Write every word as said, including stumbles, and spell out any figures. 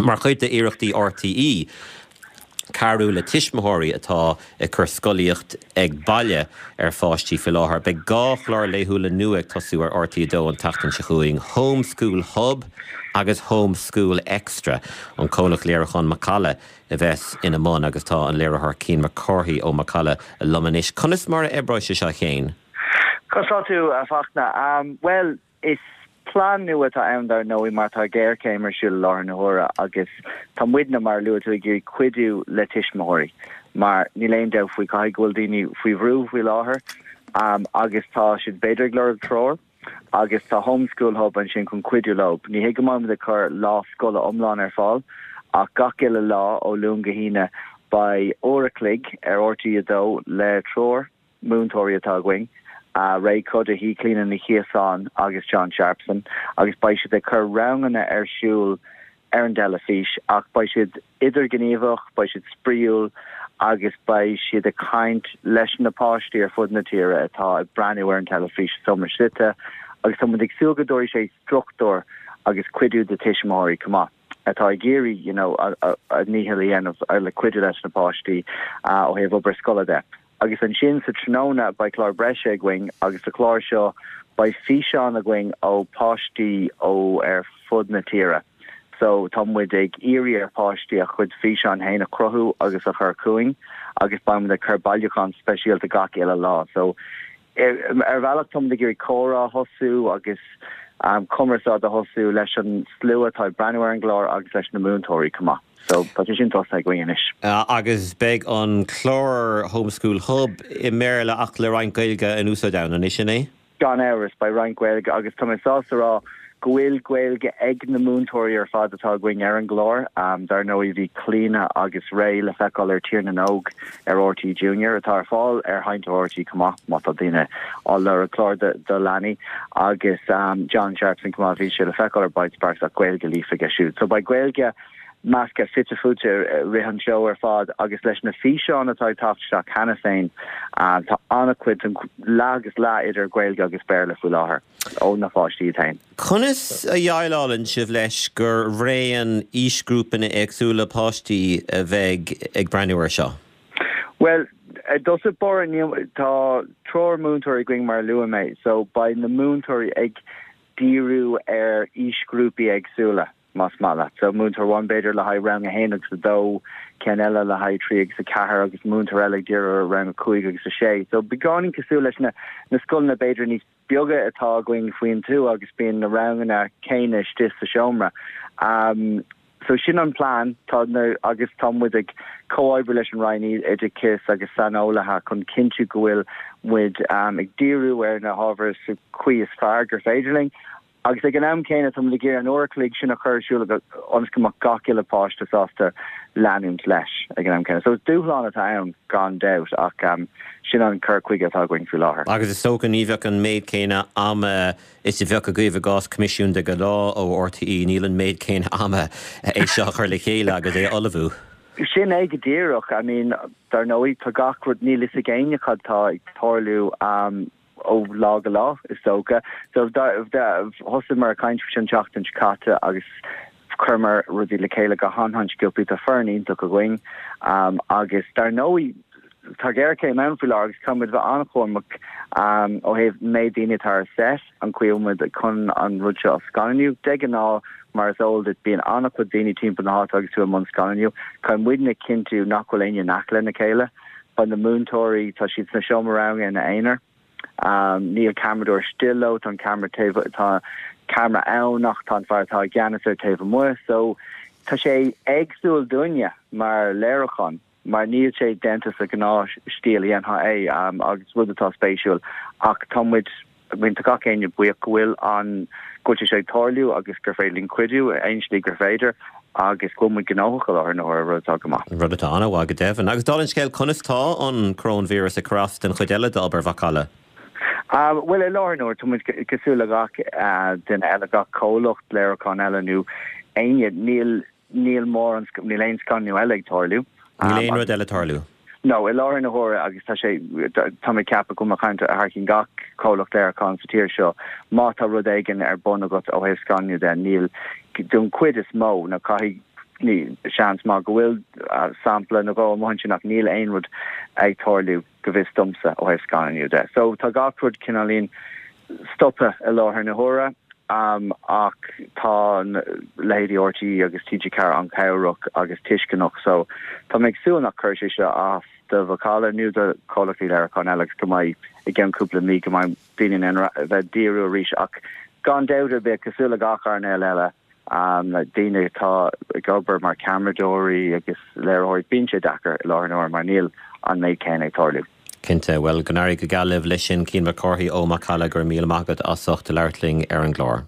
Mar chuid d'iarrachtaí RTÉ cabhrú le tuismitheoirí atá ag cur scolaíocht ag baile ar pháistí faoi láthair. Beidh dhá chlár laethúla nua ag tosú ar RTÉ dó an tseachtain seo chugainn Home School Hub agus Home School Extra an comhlacht léiriúcháin Macalla a bheas ina mbun agus tá an léiritheoir Cian Mac Cárthaigh ó Macalla liom anois. Conas mar a oibreoidh sé seo Cian? Conas tá tú a Fhachtna um, well is plan nua atá ann dar ndóigh mar tá géarchéim ar siúl i láthair na huaire agus tá muidne mar luaigh tú ag iarraidh cuidiú le tuismitheoirí mar níl aon dabht faoi caithfidh go bhfuil daoine faoi bhrú faoi láthair um, agus tá siad b'fhéidir ag lorg treoir agus tá homeschool hub ansin chun cuidiú leo. Ní hé go mbeidh ag cur lá scoile iomlán ar fáil ach gach uile lá ó Luan go hAoine beidh uair a chloig ar RTÉ a dó le triúr múinteoirí atá againn. uh, Ray Cuddihy, Clíona Ní Chíosáin agus John Sharpson agus beidh siad ag cur ranganna ar siúl ar an teilifís ach beidh siad idirghníomhach, beidh siad spraíúil agus beidh siad ag caint leis na páistí ar fud na tíre atá ag breathnú ar an teilifís seomra suite agus tá muid ag súil go dtabharfaidh sé struchtúr agus cuidiú do tuismitheoirí chomh maith atá ag iarraidh you know, a, a, a ndícheall a dhéanamh ar le cuidiú leis na páistí uh, ó thaobh obair scoile de. Agus ansin sa tráthnóna beidh clár breise againn agus sa chlár seo beidh físeán againn ó páistí ó ar fud na tíre. So tá muid ag iarraidh ar pháistí a chuid físeán féin a chruthú agus a chur chugainn agus beidh muid ag cur bailiúchán speisialta gach uile lá. So ar bhealach tá muid ag iarraidh comhrá a thosú agus um, cumarsáid a thosú leis an slua atá ag breathnú ar an gclár agus leis na múinteoirí chomh maith. So tá sé sin tosaithe againn anois. Uh, agus beidh an clár Homeschool Hub i mBéarla ach le roinnt Gaeilge in úsáid ann an sin é? Gan amhras beidh roinnt Gaeilge agus tá mé sásta rá go bhfuil Gaeilge ag na múinteoirí ar fad atá againn ar an gclár um, dar ndóigh bhí Clíona agus Ray le feiceáil ar Tír na nÓg ar RTÉ Junior atá ar fáil ar sheinnteoir RTÉ chomh maith má tá daoine á lorg clár de, de leanaí agus um, John Sharpson chomh maith bhí sé le feiceáil ar Bitesparks ach Gaeilge líofa aige siúd. So beidh Gaeilge measctha fite fuaite rith an seó ar fad agus leis na físeáin atá ag teacht isteach cheana féin uh, tá an-chuid an leath agus leath idir Gaeilge agus Béarla faoi láthair ó na páistí féin. Conas a dhéileálann sibh leis gur raon aoisghrúpanna éagsúla páistí a bheidh ag breathnú air seo? Well, dos bor tá triúr múinteoirí againn mar luaigh mé, so beidh na múinteoirí ag díriú ar aoisghrúpaí éagsúla. más maith leat. So múinteoir amháin b'fhéidir le haghaidh rang a haon agus a dó ceann eile le haghaidh trí agus a ceathair agus múinteoir eile ag díriú ar rang a cúig agus a sé. So beagáinín cosúil leis na na scoileanna b'fhéidir níos beaga atá againn faoin tuath agus bíonn na ranganna céanna istigh sa seomra. Um, so sin an plan tá na, agus tá muid ag comhoibriú leis an Roinn Oideachais agus saineolaithe chun cinntiú go bhfuil muid um, ag díriú ar na hábhair sa chaoi is fearr gur féidir linn. Agus ag an am céanna tá ag iarraidh an uair a chloig sin a chur ar siúl ionas go mbeadh gach uile páiste sásta leanúint leis ag an am céanna. So dúshlán atá ann gan dabht ach um, sin an cur chuige atá againn faoi láthair. Agus is dócha ní bheadh an méid céanna ama is a bheadh agaibh i gcás coimisiún de ghnáth ó RTÉ níl an méid céanna ama é seo chur le chéile agus é ullmhú. Sin é go díreach I mean dar ndóigh tá gach rud níl a fhios ag éinne cad tá ag tarlú um, ó lá go lá is dócha. So thosaíomar ag caint an tseachtain seo caite agus chuireamar rudaí le chéile go han-sciobtha tá foireann iontach againn um, agus dar ndóigh tá géarchéim ann faoi láthair agus caithfimid bheith an-chúramach um, ó thaobh méid daoine atá ar set an chaoi muid chun an rud seo a scannánú. De ghnáth mar is eol duit bíonn an-chuid daoine timpeall na háite agus tú i mbun scannánú, Caithfidh muidne cinntiú nach bhfuil éinne in aice lena chéile, Beidh na múinteoirí tá siad sna seomra ranga ina n-aonar. Um, níl ceamaradóir istigh leo tá ceamara tá ceamara ann ach tá an fear atá i gceannas ar taobh amuigh, so tá sé éagsúil dúinne mar léiriúchán mar níl sé déanta sa ghnáth stíl a dhéanfá é um, agus rud atá spéisiúil ach tá muid tá gach éinne buíoch go bhfuil an go bhfuil sé ag tarlú agus gur féidir linn cuidiú aon slí gur féidir agus go muid gnóthach ar na rud atá go maith. Rud atá an-mhaith go deimhin. Agus dála an scéil conas tá an coróinvíreas ag cur as den chuid eile d'obair Mhacalla. Um, well i láthair na huaire tá muid cosúil le gach uh, duine eile gach comhlacht léiriúcháin eile nó éinne níl níl mór níl aon scannánú eile ag tarlú. Níl aon rud eile tarlú. No, i láthair na huaire agus tá sé tá mé ag ceapadh go mbeidh thar cionn gach comhlacht léiriúcháin sa tír seo má tá rud éigin ar bun agat ó thaobh scannánú de níl don chuid is mó na caithfidh ní seans maith go bhfuil sampla nó dhó amuigh ansin ach níl aon rud ag tarlú go bhfios domsa ó thaobh scannánú de. So tá gach rud cineáilín stoptha i láthair na huaire um, ach tá leithéidí RTÉ agus TG Ceathair an-chabhrach agus tuisceanach so tá mé ag súil nach gcuirfidh sé seo as do Mhacalla nó do chomhlachtaí léiriúcháin eile agus go mbeidh i gceann cúpla mí go mbeidh daoine in ann bheith díriú arís ach gan dabht ar bith cosúil le gach earnáil eile um, daoine atá ag obair mar ceamaradóirí agus léiritheoirí bíonn sé deacair i láthair na huaire mar níl an méid céanna ag tarlú. Cinnte well go n-éirí go geal libh leis sin Cian Mac Cárthaigh ó Macalla go raibh míle maith agat as ucht labhairt linn ar an gclár.